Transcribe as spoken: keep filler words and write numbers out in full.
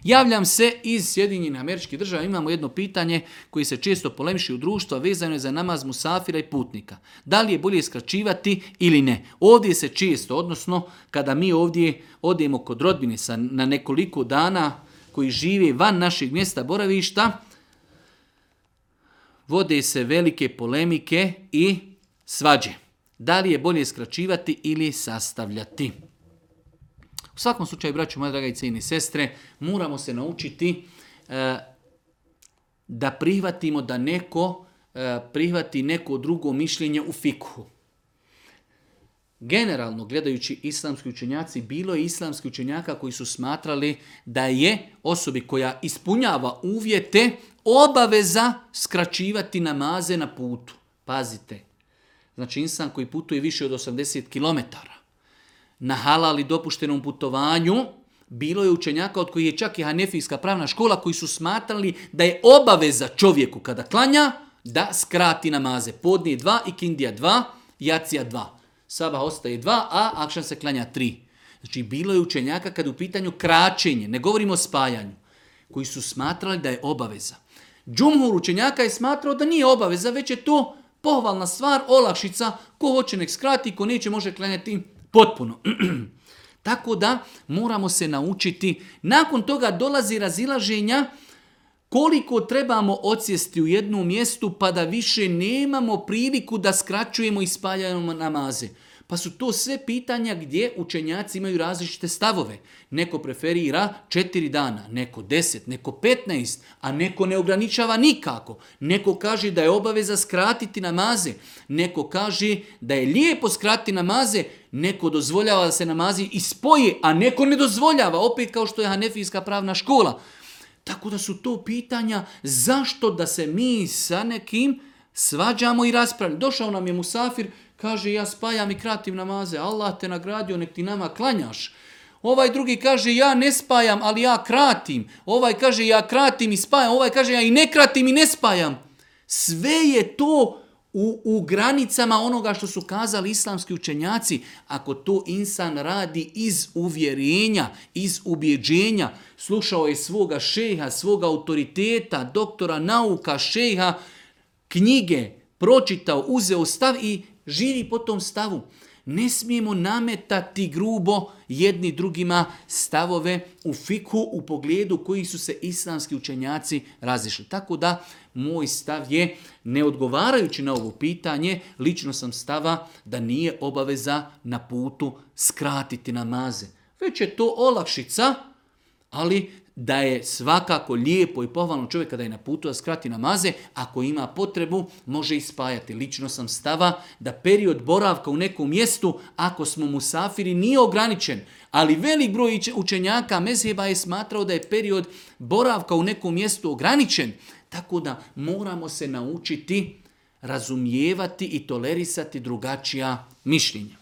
Javljam se iz Sjedinjenih Američkih Država, imamo jedno pitanje koje se često polemiši u društvu, a vezano je za namaz musafira i putnika. Da li je bolje skraćivati ili ne? Ovdje se često, odnosno kada mi ovdje odemo kod rodbine sa, na nekoliko dana koji žive van našeg mjesta boravišta, vode se velike polemike i svađe. Da li je bolje skraćivati ili sastavljati? U svakom slučaju, braćo, moja draga i cijene sestre, moramo se naučiti e, da prihvatimo da neko e, prihvati neko drugo mišljenje u fikhu. Generalno, gledajući islamski učenjaci, bilo je islamski učenjaka koji su smatrali da je osobi koja ispunjava uvjete obaveza skraćivati namaze na putu. Pazite, znači insan koji putuje više od osamdeset kilometara, na halal i dopuštenom putovanju, bilo je učenjaka od kojih je čak i Hanefijska pravna škola koji su smatrali da je obaveza čovjeku kada klanja da skrati namaze. Podnije dva, ikindija dva, jacija dva. Sabah ostaje dva, a akšan se klanja tri. Znači bilo je učenjaka kada u pitanju kraćenje, ne govorimo o spajanju, koji su smatrali da je obaveza. Džumhur učenjaka je smatrao da nije obaveza, već je to pohvalna stvar, olakšica, ko hoće nek skrati, ko neće može klanjati potpuno. Tako da moramo se naučiti, nakon toga dolazi razilaženja koliko trebamo odsjesti u jednom mjestu pa da više nemamo priliku da skraćujemo i spaljamo namaze. Pa su to sve pitanja gdje učenjaci imaju različite stavove. Neko preferira četiri dana, neko deset, neko petnaest, a neko ne ograničava nikako. Neko kaže da je obaveza skratiti namaze, neko kaže da je lijepo skratiti namaze, neko dozvoljava da se namazi ispoje, a neko ne dozvoljava, opet kao što je Hanefijska pravna škola. Tako da su to pitanja zašto da se mi sa nekim svađamo i raspravljamo. Došao nam je musafir, kaže ja spajam i kratim namaze, Allah te nagradio, nek ti nama klanjaš. Ovaj drugi kaže ja ne spajam, ali ja kratim. Ovaj kaže ja kratim i spajam, ovaj kaže ja i ne kratim i ne spajam. Sve je to u, u granicama onoga što su kazali islamski učenjaci. Ako to insan radi iz uvjerenja, iz ubjeđenja, slušao je svoga šeha, svoga autoriteta, doktora nauka, šeha, knjige, pročitao, uzeo stav i živi po tom stavu. Ne smijemo nametati grubo jedni drugima stavove u fikhu u pogledu koji su se islamski učenjaci razišli. Tako da moj stav je, ne odgovarajući na ovo pitanje, lično sam stava da nije obaveza na putu skratiti namaze. Već je to olakšica, ali da je svakako lijepo i pohvalno čovjek kada je na putu da skrati namaze, ako ima potrebu, može ispajati. Lično sam stava da period boravka u nekom mjestu, ako smo musafiri, nije ograničen. Ali velik broj učenjaka mezheba je smatrao da je period boravka u nekom mjestu ograničen. Tako da moramo se naučiti razumijevati i tolerisati drugačija mišljenja.